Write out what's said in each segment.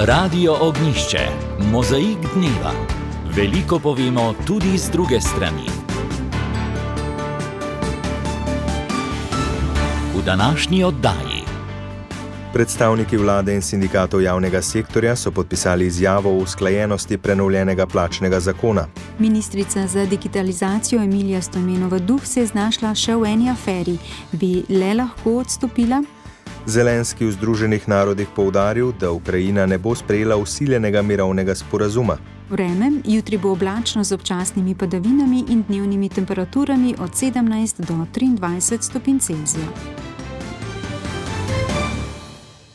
Radio Ognjišče, mozaik dneva. Veliko povemo tudi z druge strani. V današnji oddaji. Predstavniki vlade in sindikatov javnega sektorja so podpisali izjavo o usklajenosti prenovljenega plačnega zakona. Ministrica za digitalizacijo Emilija Stojmenova Duh se je znašla še v eni aferi. Bi le lahko odstopila? Zelenski v Združenih narodih poudaril, da Ukrajina ne bo sprejela vsiljenega mirovnega sporazuma. Vreme, jutri bo oblačno z občasnimi padavinami in dnevnimi temperaturami od 17 do 23 stopinj Celzija.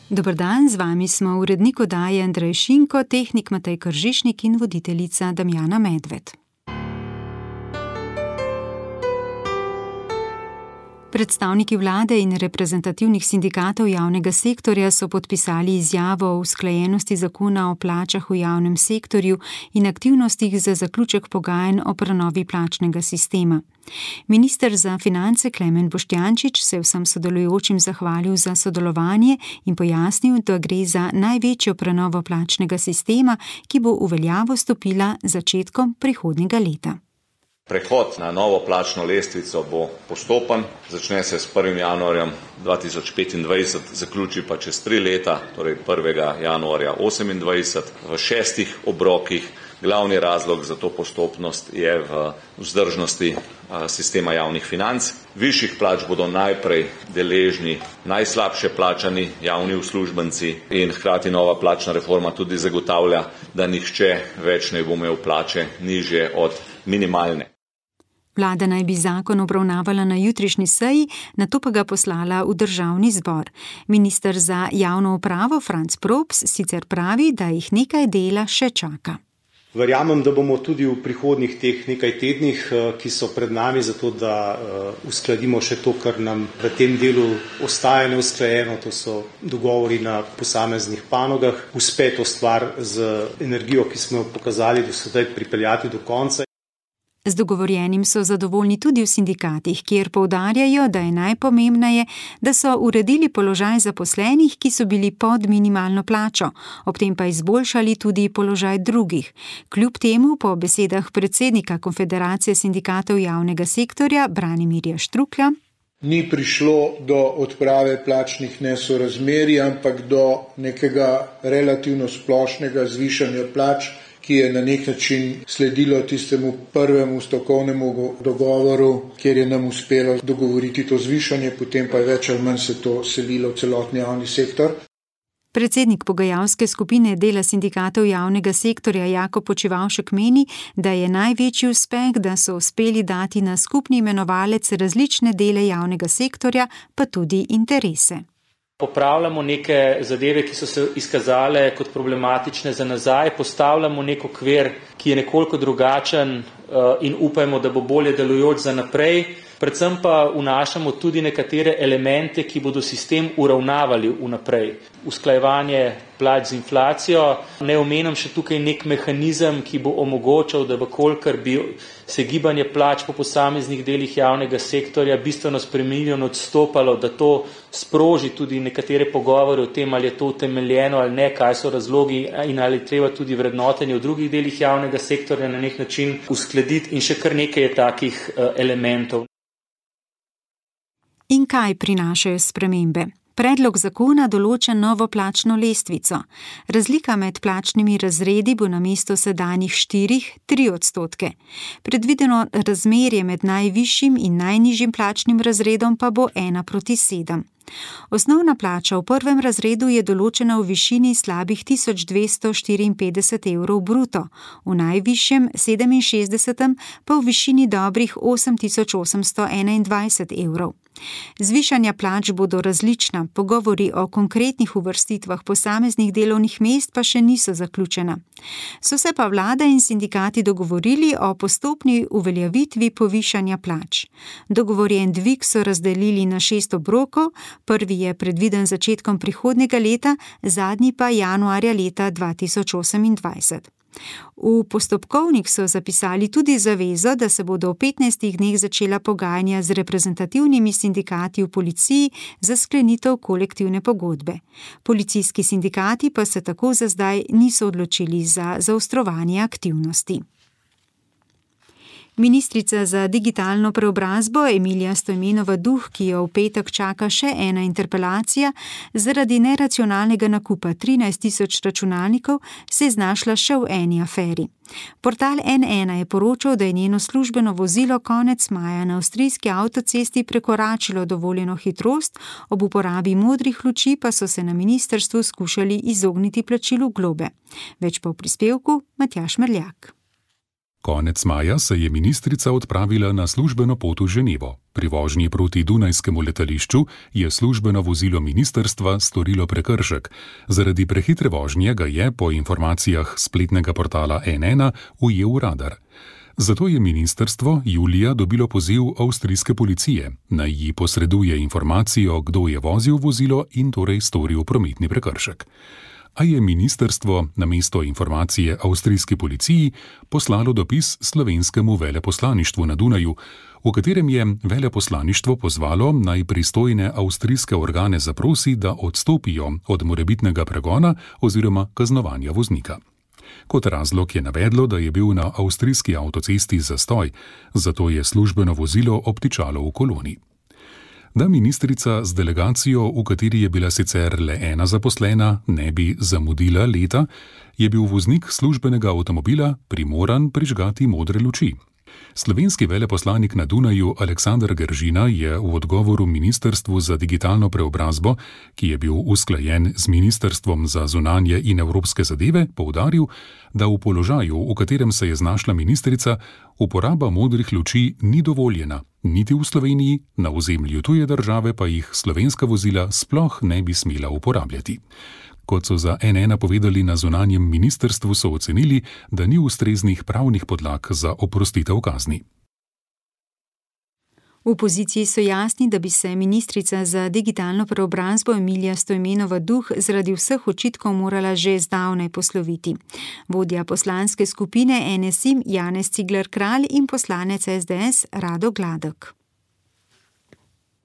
Dober dan, z vami smo urednik oddaje Andrej Šinko, tehnik Matej Kržišnik in voditeljica Damjana Medved. Predstavniki vlade in reprezentativnih sindikatov javnega sektorja so podpisali izjavo o usklajenosti zakona o plačah v javnem sektorju in aktivnostih za zaključek pogajanj o prenovi plačnega sistema. Minister za finance Klemen Boštjančič se vsem sodelujočim zahvalil za sodelovanje in pojasnil, da gre za največjo prenovo plačnega sistema, ki bo v veljavo stopila začetkom prihodnjega leta. Prehod na novo plačno lestvico bo postopen, začne se s 1. januarjem 2025, zaključi pa čez 3 leta, torej 1. januarja 2028, v 6 obrokih. Glavni razlog za to postopnost je v vzdržnosti sistema javnih financ. Višjih plač bodo najprej deležni najslabše plačani javni uslužbenci in hkrati nova plačna reforma tudi zagotavlja, da nihče več ne bo imel plače nižje od minimalne. Vlada naj bi zakon obravnavala na jutrišnji seji, nato pa ga poslala v državni zbor. Minister za javno upravo Franc Props sicer pravi, da jih nekaj dela še čaka. Verjamem, da bomo tudi v prihodnjih teh nekaj tednih, ki so pred nami, zato da uskladimo še to, kar nam v tem delu ostaja neusklajeno, to so dogovori na posameznih panogah, uspe to stvar z energijo, ki smo jo pokazali do sedaj, pripeljati do konca. Z dogovorjenim so zadovoljni tudi v sindikatih, kjer poudarjajo, da je najpomembneje, da so uredili položaj zaposlenih, ki so bili pod minimalno plačo, ob tem pa izboljšali tudi položaj drugih. Kljub temu, po besedah predsednika Konfederacije sindikatov javnega sektorja Branimirja Štruklja, ni prišlo do odprave plačnih nesorazmerij, ampak do nekega relativno splošnega zvišanja plač, ki je na nek način sledilo tistemu prvemu stavkovnemu dogovoru, kjer je nam uspelo dogovoriti to zvišanje, potem pa je več ali manj se to selilo v celotni javni sektor. Predsednik pogajalske skupine dela sindikatov javnega sektorja Jakob Počivavšek meni, da je največji uspeh, da so uspeli dati na skupni imenovalec različne dele javnega sektorja, pa tudi interese. Popravljamo neke zadeve, ki so se izkazale kot problematične za nazaj, postavljamo nek okvir, ki je nekoliko drugačen in upajmo, da bo bolje delujoč za naprej. Predvsem pa vnašamo tudi nekatere elemente, ki bodo sistem uravnavali vnaprej. Usklajevanje plač z inflacijo. Ne omenjam še tukaj nek mehanizem, ki bo omogočal, da kolikor bi se gibanje plač po posameznih delih javnega sektorja bistveno spremenilo in odstopalo, da to sproži tudi nekatere pogovore o tem, ali je to utemeljeno ali ne, kaj so razlogi in ali treba tudi vrednotenje v drugih delih javnega sektorja na nek način uskladiti in še kar nekaj je takih elementov. In kaj prinašajo spremembe? Predlog zakona določa novo plačno lestvico. Razlika med plačnimi razredi bo namesto sedanjih 4–3%. Predvideno razmerje med najvišjim in najnižjim plačnim razredom pa bo 1:7. Osnovna plača v prvem razredu je določena v višini slabih 1254 evrov bruto, v najvišjem 67. pa v višini dobrih 8821 evrov. Zvišanja plač bodo različna, pogovori o konkretnih uvrstitvah posameznih delovnih mest pa še niso zaključena. So se pa vlada in sindikati dogovorili o postopni uveljavitvi povišanja plač. Dogovorjen dvig so razdelili na 6 obrokov, prvi je predviden začetkom prihodnjega leta, zadnji pa januarja leta 2028. V postopkovnik so zapisali tudi zavezo, da se bodo v 15 dneh začela pogajanja z reprezentativnimi sindikati v policiji za sklenitev kolektivne pogodbe. Policijski sindikati pa se tako za zdaj niso odločili za zaostrovanje aktivnosti. Ministrica za digitalno preobrazbo Emilija Stojmenova Duh, ki jo v petek čaka še ena interpelacija, zaradi neracionalnega nakupa 13.000 računalnikov se je znašla še v eni aferi. Portal N1 je poročal, da je njeno službeno vozilo konec maja na avstrijski avtocesti prekoračilo dovoljeno hitrost, ob uporabi modrih luči pa so se na ministrstvu skušali izogniti plačilu globe. Več pa v prispevku Matjaž Merljak. Konec maja se je ministrica odpravila na službeno pot v Ženevo. Pri vožnji proti Dunajskemu letališču je službeno vozilo ministrstva storilo prekršek. Zaradi prehitre vožnje ga je, po informacijah spletnega portala N1, ujel radar. Zato je ministrstvo julija dobilo poziv avstrijske policije, naj ji posreduje informacijo, kdo je vozil vozilo in torej storil prometni prekršek. A je ministrstvo namesto informacije avstrijski policiji poslalo dopis slovenskemu veleposlaništvu na Dunaju, v katerem je veleposlaništvo pozvalo naj pristojne avstrijske organe zaprosi, da odstopijo od morebitnega pregona oziroma kaznovanja voznika. Kot razlog je navedlo, da je bil na avstrijski avtocesti zastoj, zato je službeno vozilo obtičalo v koloni. Da ministrica z delegacijo, v kateri je bila sicer le ena zaposlena, ne bi zamudila leta, je bil voznik službenega avtomobila primoran prižgati modre luči. Slovenski veleposlanik na Dunaju Aleksander Geržina je v odgovoru Ministrstvu za digitalno preobrazbo, ki je bil usklajen z Ministrstvom za zunanje in evropske zadeve, poudaril, da v položaju, v katerem se je znašla ministrica, uporaba modrih luči ni dovoljena, niti v Sloveniji, na ozemlju tuje države pa jih slovenska vozila sploh ne bi smela uporabljati. Kot so za N1 povedali na zunanjem ministrstvu, so ocenili, da ni ustreznih pravnih podlag za oprostitev kazni. V opoziciji so jasni, da bi se ministrica za digitalno preobrazbo Emilija Stojmenova Duh zaradi vseh očitkov morala že zdavnaj posloviti. Vodja poslanske skupine NSI Janez Cigler Kralj in poslanec SDS Rado Gladek.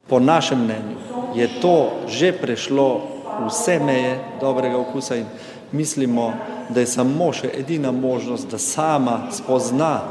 Po našem mnenju je to že prešlo vse meje dobrega okusa in mislimo, da je samo še edina možnost, da sama spozna,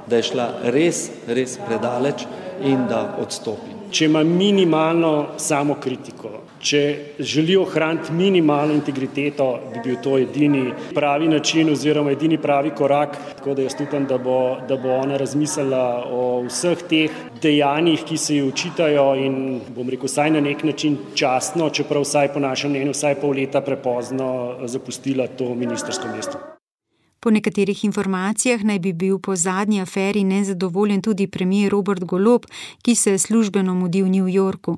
da je šla res predaleč in da odstopi. Če ima minimalno samokritiko, če želi ohraniti minimalno integriteto, bi bil to edini pravi način oziroma edini pravi korak. Tako da jaz upam, da bo ona razmislila o vseh teh dejanjih, ki se ji očitajo in bom rekel, vsaj na nek način častno, čeprav vsaj po našem mnenju vsaj pol leta prepozno zapustila to ministrsko mesto. Po nekaterih informacijah naj bi bil po zadnji aferi nezadovoljen tudi premier Robert Golob, ki se je službeno mudi v New Yorku.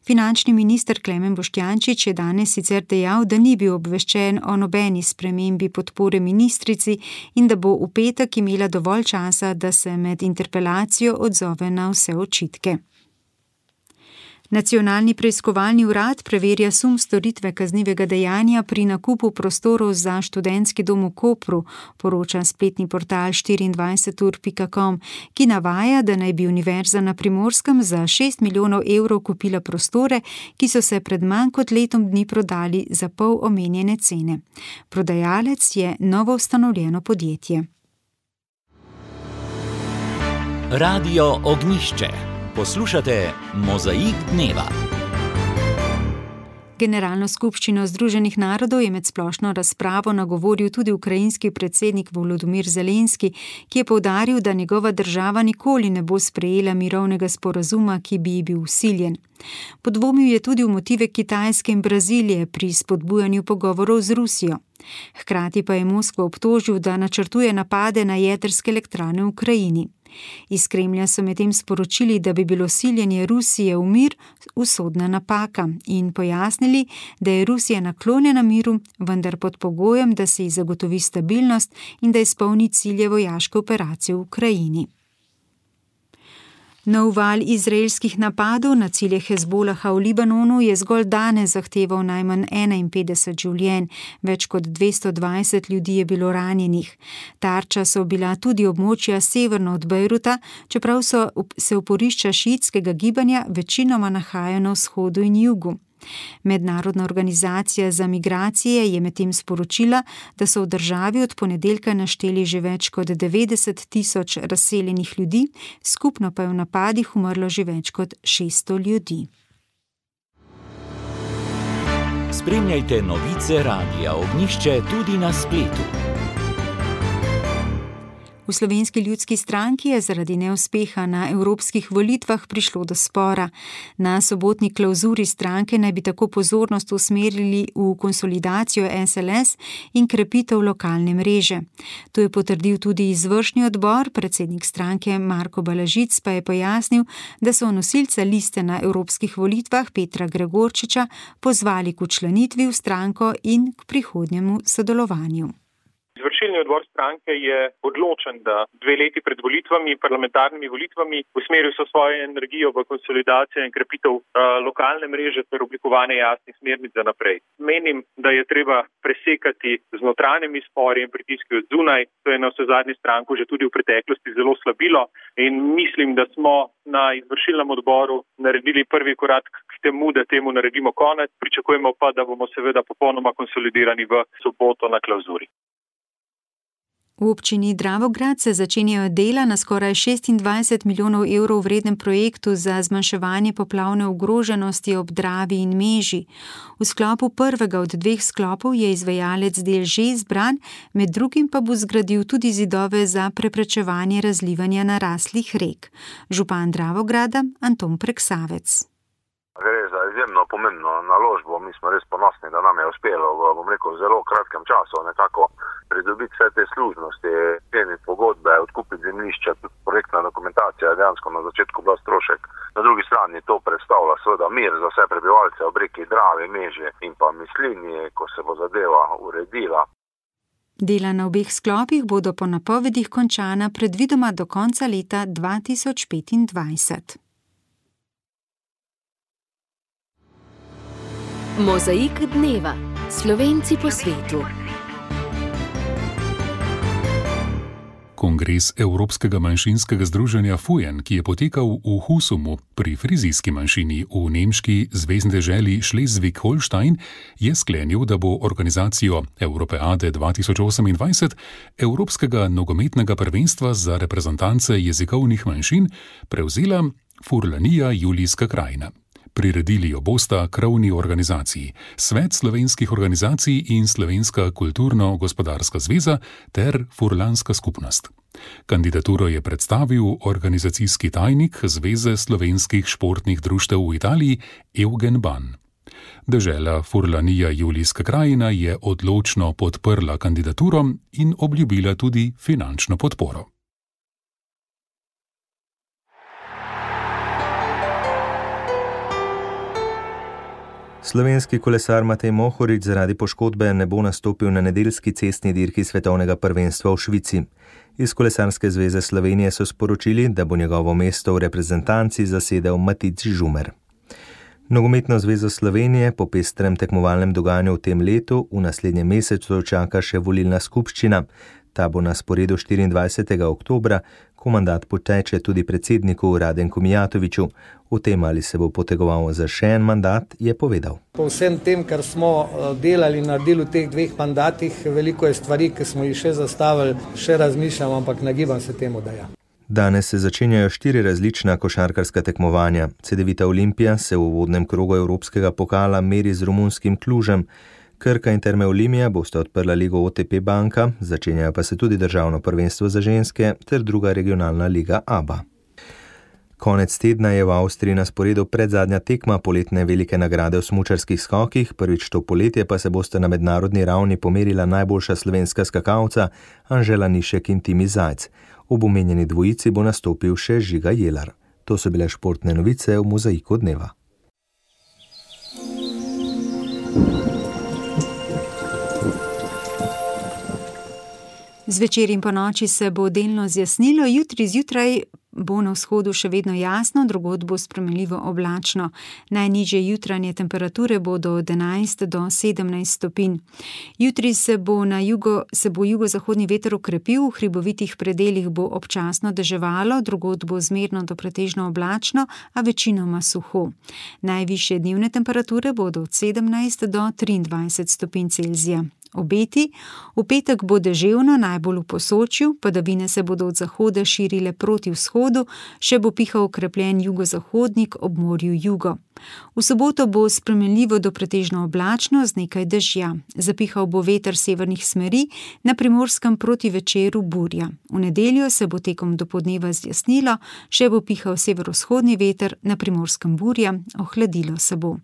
Finančni minister Klemen Boštjančič je danes sicer dejal, da ni bil obveščen o nobeni spremembi podpore ministrici in da bo v petek imela dovolj časa, da se med interpelacijo odzove na vse očitke. Nacionalni preiskovalni urad preverja sum storitve kaznivega dejanja pri nakupu prostorov za študentski dom v Kopru, poroča spletni portal 24ur.com, ki navaja, da naj bi Univerza na Primorskem za 6 milijonov evrov kupila prostore, ki so se pred manj kot letom dni prodali za pol omenjene cene. Prodajalec je novo ustanovljeno podjetje. Radio Ognjišče. Poslušate Mozaik dneva. Generalno skupščino Združenih narodov je med splošno razpravo nagovoril tudi ukrajinski predsednik Volodymyr Zelenski, ki je poudaril, da njegova država nikoli ne bo sprejela mirovnega sporazuma, ki bi ji bil vsiljen. Podvomil je tudi v motive Kitajske in Brazilije pri spodbujanju pogovorov z Rusijo. Hkrati pa je Moskvo obtožil, da načrtuje napade na jedrske elektrarne v Ukrajini. Iz Kremlja so medtem sporočili, da bi bilo siljenje Rusije v mir usodna napaka in pojasnili, da je Rusija naklonjena miru, vendar pod pogojem, da se ji zagotovi stabilnost in da izpolni cilje vojaške operacije v Ukrajini. Nov val izraelskih napadov na cilje Hezbolaha v Libanonu je zgolj danes zahteval najmanj 51 življenj, več kot 220 ljudi je bilo ranjenih. Tarča so bila tudi območja severno od Bejruta, čeprav se oporišča šiitskega gibanja večinoma nahajajo na vzhodu in jugu. Mednarodna organizacija za migracije je medtem sporočila, da so v državi od ponedeljka našteli že več kot 90 tisoč razseljenih ljudi, skupno pa je v napadih umrlo že več kot 600 ljudi. Spremljajte novice Radia Ognjišče tudi na spletu. V Slovenski ljudski stranki je zaradi neuspeha na evropskih volitvah prišlo do spora. Na sobotni klavzuri stranke naj bi tako pozornost usmerili v konsolidacijo SLS in krepitev lokalne mreže. To je potrdil tudi izvršni odbor, predsednik stranke Marko Balažic pa je pojasnil, da so nosilca liste na evropskih volitvah Petra Gregorčiča pozvali k včlanitvi v stranko in k prihodnjemu sodelovanju. Izvršilni odbor stranke je odločen, da 2 leti pred volitvami, parlamentarnimi volitvami, usmeril so svojo energijo v konsolidacijo in krepitev lokalne mreže ter oblikovanje jasnih smernic za naprej. Menim, da je treba presekati z notranjimi spori in pritiski od zunaj. To je na vsezadnje stranko že tudi v preteklosti zelo slabilo in mislim, da smo na izvršilnem odboru naredili prvi korak k temu, da temu naredimo konec. Pričakujemo pa, da bomo seveda popolnoma konsolidirani v soboto na klavzuri. V občini Dravograd se začenjajo dela na skoraj 26 milijonov evrov vrednem projektu za zmanjševanje poplavne ogroženosti ob Dravi in Meži. V sklopu prvega od 2 sklopov je izvajalec del že izbran, med drugim pa bo zgradil tudi zidove za preprečevanje razlivanja naraslih rek. Župan Dravograda Anton Preksavec. Gre za izjemno pomembno naložbo. Mi smo res ponosni, da nam je uspelo v zelo kratkem času nekako pridobiti vse te služnosti, skleniti pogodbe, odkupiti zemljišča, tudi projektna dokumentacija je dejansko na začetku bila strošek. Na drugi strani to predstavlja seveda mir za vse prebivalce ob reki Dravi, Meži in pa Mislinji, ko se bo zadeva uredila. Dela na obeh sklopih bodo po napovedih končana predvidoma do konca leta 2025. Mozaik dneva. Slovenci po svetu. Kongres Evropskega manjšinskega združenja FUJEN, ki je potekal v Husumu pri frizijski manjšini v nemški zvezni deželi Schleswig-Holstein, je sklenil, da bo organizacijo Europeade 2028 Evropskega nogometnega prvenstva za reprezentance jezikovnih manjšin prevzela Furlanija Julijska krajina. Priredili jo bosta krovni organizaciji, Svet slovenskih organizacij in Slovenska kulturno-gospodarska zveza ter Furlanska skupnost. Kandidaturo je predstavil organizacijski tajnik Zveze slovenskih športnih društev v Italiji Eugen Ban. Dežela Furlanija Julijska krajina je odločno podprla kandidaturo in obljubila tudi finančno podporo. Slovenski kolesar Matej Mohorič zaradi poškodbe ne bo nastopil na nedeljski cestni dirki svetovnega prvenstva v Švici. Iz Kolesarske zveze Slovenije so sporočili, da bo njegovo mesto v reprezentanci zasedel Matic Žumer. Nogometno zvezo Slovenije po pestrem tekmovalnem dogajanju v tem letu v naslednjem mesecu čaka še volilna skupščina. Ta bo na sporedu 24. oktobra, ko mandat poteče tudi predsedniku Radenku Mijatoviću. O tem, ali se bo potegoval za še en mandat, je povedal. Po vsem tem, kar smo delali na delu teh 2 mandatih, veliko je stvari, ki smo jih še zastavili, še razmišljam, ampak nagibam se temu, da ja. Danes se začenjajo 4 različna košarkarska tekmovanja. Cedevita Olimpija se v uvodnem krogu Evropskega pokala meri z romunskim Klužem. Krka in Terme Olimija bosta odprla ligo OTP banka, začenjajo pa se tudi državno prvenstvo za ženske ter druga regionalna liga ABA. Konec tedna je v Avstriji na sporedu predzadnja tekma poletne velike nagrade v smučarskih skokih, prvič to poletje pa se bosta na mednarodni ravni pomerila najboljša slovenska skakalca Anžela Nišek in Timi Zajc. Ob omenjeni dvojici bo nastopil še Žiga Jelar. To so bile športne novice v Mozaiku dneva. Zvečer in ponoči se bo delno zjasnilo, jutri zjutraj bo na vzhodu še vedno jasno, drugod bo spremenljivo oblačno. Najnižje jutranje temperature bodo od 11 do 17 stopinj. Jutri se bo jugozahodni veter okrepil, v hribovitih predelih bo občasno deževalo, drugod bo zmerno do pretežno oblačno, a večinoma suho. Najvišje dnevne temperature bodo od 17 do 23 stopinj Celzija. Obeti: v petek bo deževno, najbolj v Posočju, padavine se bodo od zahoda širile proti vzhodu, še bo pihal okrepljen jugozahodnik ob morju jugo. V soboto bo spremenljivo do pretežno oblačno z nekaj dežja. Zapihal bo veter severnih smeri, na Primorskem proti večeru burja. V nedeljo se bo tekom dopoldneva zjasnilo, še bo pihal severovzhodni veter, na Primorskem burja, ohladilo se bo.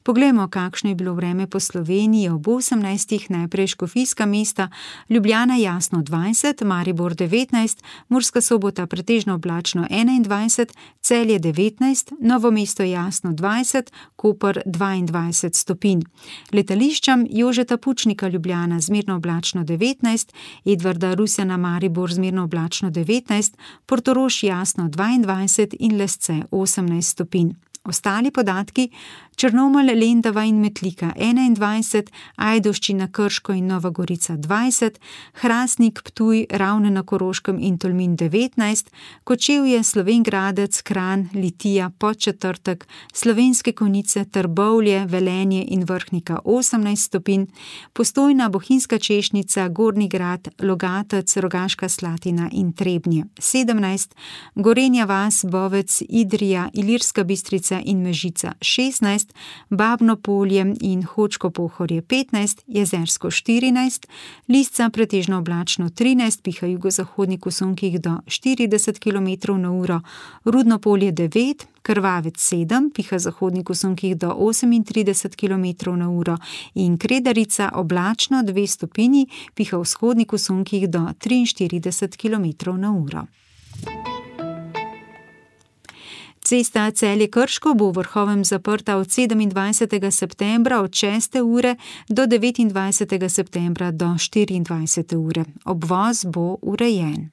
Poglejmo, kakšno je bilo vreme po Sloveniji ob 18. Najprej škofijska mesta: Ljubljana jasno 20, Maribor 19, Murska Sobota pretežno oblačno 21, Celje 19, Novo mesto jasno 20, Koper 22 stopinj. Letališčam: Jožeta Pučnika Ljubljana zmerno oblačno 19, Edvarda Rusjana Maribor zmerno oblačno 19, Portorož jasno 22 in Lesce 18 stopinj. Ostali podatki: Črnomelj, Lendava in Metlika 21, Ajdovščina, Krško in Nova Gorica 20, Hrastnik, Ptuj, Ravne na Koroškem in Tolmin 19, Kočevje, Slovenj Gradec, Kranj, Litija, Podčetrtek, Slovenske Konjice, Trbovlje, Velenje in Vrhnika 18 stopinj, Postojna, Bohinjska Češnica, Gornji Grad, Logatec, Rogaška Slatina in Trebnje 17, Gorenja vas, Bovec, Idrija, Ilirska Bistrica in Mežica 16, Babno Polje in Hočko Pohorje 15, Jezersko 14, Lisca pretežno oblačno 13, piha jugozahodnik v sunkih do 40 km/h, Rudno Polje 9, Krvavec 7, piha zahodnik v sunkih do 38 km/h in Kredarica oblačno 2 stopinji, piha vzhodnik v sunkih do 43 km/h. Cesta Celje-Krško bo v Vrhovem zaprta od 27. septembra od 6. ure do 29. septembra do 24. ure. Obvoz bo urejen.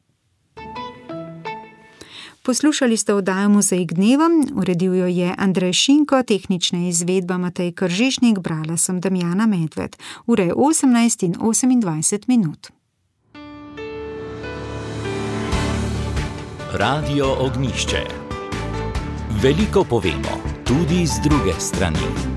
Poslušali ste oddajo Mozaik dneva, uredil jo je Andrej Šinko, tehnična izvedba Matej Kržišnik, brala sem Damjana Medved. Ura je 18:28. Radio Ognjišče. Veliko povemo, tudi z druge strani.